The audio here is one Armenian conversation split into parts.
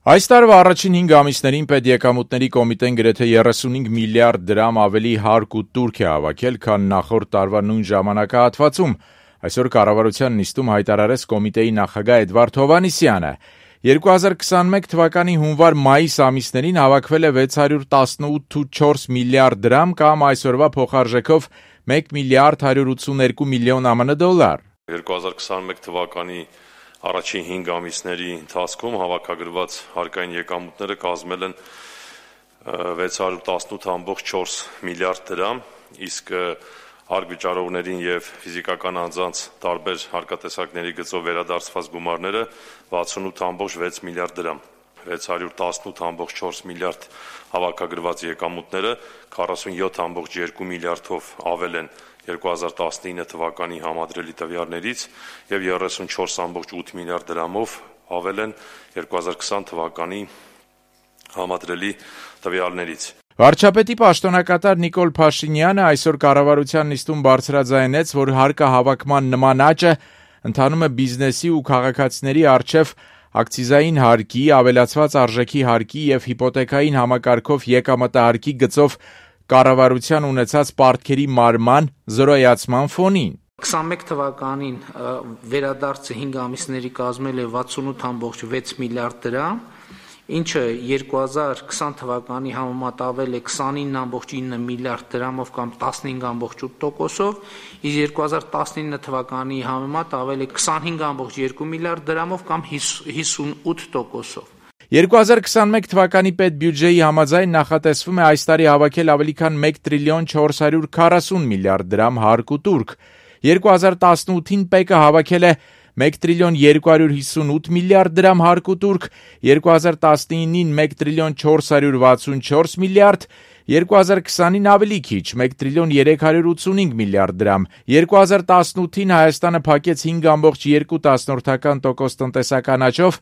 Այս տարվա առաջին 5 ամիսներին պետեկամուտների կոմիտեն գրեթե 35 միլիարդ դրամ ավելի հարկ ու տուրք է հավաքել, քան նախորդ տարվա նույն ժամանակահատվածում, այսօր կառավարության նիստում հայտարարեց կոմիտեի նախագահ Էդվարդ Հովհաննիսյանը: 2021 թվականի հունվար-մայիս ամիսներին հավաքվել է 618,4 միլիարդ դրամ կամ այսօրվա փոխարժեքով 1 միլիարդ 182 միլիոն ԱՄՆ դոլար: 2021 թվականի առաջին 5 ամիսների ընթացքում հավաքագրված հարկային եկամուտները կազմել են 618,4 միլիարդ դրամ, իսկ հարկ վճարողներին և ֆիզիկական անձանց տարբեր հարկատեսակների գծով վերադարձված գումարները 68,6 միլիարդ դրամ: 618,4 միլիարդ հավաքագրված եկամուտները 47,2 միլիարդով ավել են 2019 թվականի համադրելի տվյալներից և 34,8 միլիարդ դրամով ավել են 2020 թվականի համադրելի տվյալներից: Վարչապետի պաշտոնակատար Նիկոլ Փաշինյանը այսօր կառավարության նիստում բարձրաձայնեց, որ հարկահավաքման նման աճը ընթանում է բիզնեսի ու քաղաքացիների առջև ակցիզային հարկի, ավելացված արժեքի հարկի և հիպոթեքային համակարգով եկամտահարկի գծով կառավարության ունեցած պարտքերի մարման զրոյացման ֆոնին: 2021 թվականին վերադարձը 5 ամիսների կազմել է 68,6 միլիարդ դրամ, ինչը 2020 թվականի համեմատ ավել է 29,9 միլիարդ դրամով կամ 15,8%, իսկ 2019 թվականի համեմատ ավել է 25,2 միլիարդ դրամով կամ 58%: 2021 թվականի պետբյուջեի համաձայն նախատեսվում է այս տարի հավաքել ավելի քան 1 տրիլիոն 440 միլիարդ դրամ հարկ ու տուրք: 2018-ին ՊԵԿ-ը հավաքել է 1 տրիլիոն 258 միլիարդ դրամ հարկ ու տուրք, 2019-ին 1 տրիլիոն 464 միլիարդ, 2020-ին ավելի քիչ՝ 1 տրիլիոն 385 միլիարդ դրամ: 2018-ին Հայաստանը փակեց 5,2% տնտեսական աճով,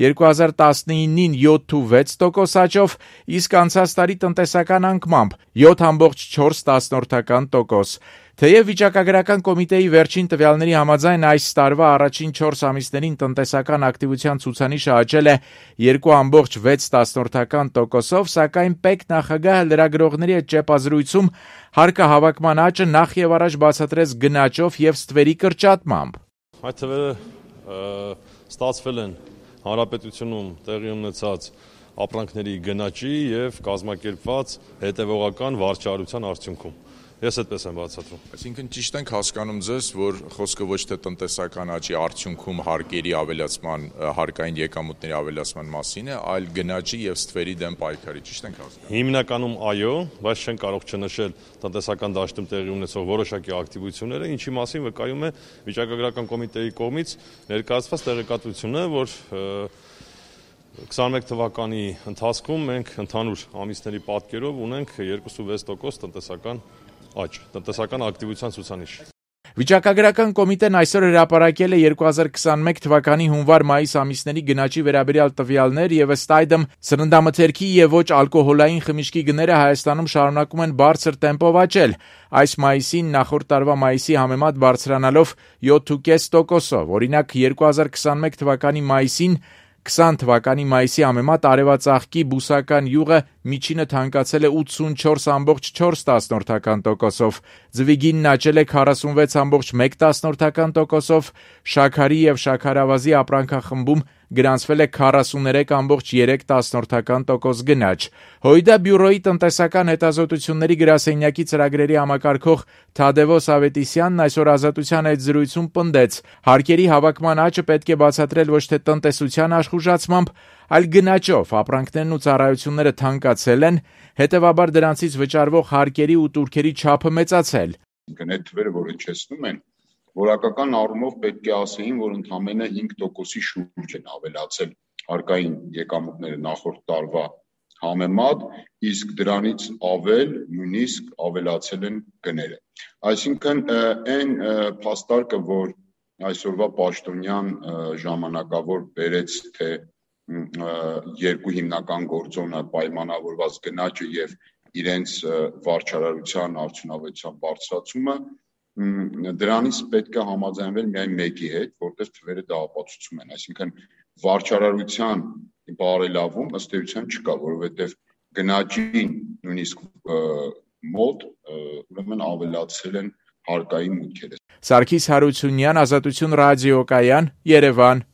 2019-ին 7,6% աճով, իսկ անցած տարի տնտեսական անկմամբ՝ 7,4%: Թեև վիճակագրական կոմիտեի վերջին տվյալների համաձայն այս տարվա առաջին 4 ամիսներին տնտեսական ակտիվության ցուցանիշը աճել է 2,6%, սակայն ՊԵԿ նախագահը լրագրողների հետ ճեպազրույցում հարկահավաքման աճը նախևառաջ բացատրեց գնաճով և ստվերի կրճատմամբ: Այդ թվերը ստացվել են հանրապետությունում տեղի ունեցած ապրանքների գնաճի և կազմակերպված հետևողական վարչարության արդյունքում: Ես այդպես եմ բացատրում: Այսինքն ճիշտ ենք հասկանում ձեզ, որ խոսքը ոչ թե տնտեսական աճի արդյունքում հարկերի ավելացման, հարկային եկամուտների ավելացման մասին է, այլ գնաճի և ստվերի դեմ պայքարի, ճիշտ ենք հասկանում: Հիմնականում այո, բայց չենք կարող չնշել տնտեսական դաշտում տեղի ունեցող որոշակի ակտիվությունները, ինչի մասին վկայում է վիճակագրական կոմիտեի կողմից ներկայացված տեղեկատվությունը, որ 2021 թվականի ընթացքում մենք ընդհանուր ամիսների պատկերով ունենք 2,6% տնտեսական աճ, տնտեսական ակտիվության ցուցանիշ: Վիճակագրական կոմիտեն այսօր հրապարակել է 2021 թվականի հունվար-մայիս ամիսների գնաճի վերաբերյալ տվյալներ և ըստ այդմ սննդամթերքի և ոչ ալկոհոլային խմիչքի գները Հայաստանում շարունակում են բարձր տեմպով աճել, այս մայիսին նախորդ տարվա մայիսի համեմատ բարձրանալով 7,5%: Օրինակ 2021 թվականի մայիսին 20 թվականի մայիսի համեմատ արևածաղկի բուսական յուղը միջինը թանկացել է 84,4%, ձվի գինն աճել է 46,1%, շաքարի և շաքարավազի ապրանքախմբում գրանցվել է 43,3% գնաճ: ՀՅԴ բյուրոյի տնտեսական հետազոտությունների գրասենյակի ծրագրերի համակարգող Թադևոս Ավետիսյանն այսօր Ազատության հետ զրույցում պնդեց. հարկերի հավաքման աճը պետք է բացատրել ոչ թե տնտեսության աշխուժացմամբ, այլ գնաճով: Ապրանքներն ու ծառայությունները թանկացել են, հետևաբար դրանցից վճարվող հարկերի ու տուրքերի չափը մեծացել: Այդ թվերը, որ հնչեցնում են, որակական առումով պետք է ասեին, որ ընդամենը 5%-ի շուրջ են ավելացել հարկային եկամուտները նախորդ տարվա համեմատ, իսկ դրանից ավել նույնիսկ ավելացել են գները: Այսինքն այն փաստարկը, որ այսօրվա պաշտոնյան ժամանակավոր բերեց, թե երկու հիմնական գործոնը պայմանավորված գնաճը և իրենց վարչարարության արդյունավետության բարձրացումը, դրանից պետք է համաձայնվել միայն մեկի հետ, որտեղ թվերը դա ապացուցում են: Այսինքն վարչարարության բարելավում ըստ էության չկա, որովհետև գնաճին նույնիսկ մոտ ուրեմն ավելացել են հարկային մուտքերը։ Սարգիս Հարությունյան, Ազատություն ռադիոկայան, Երևան։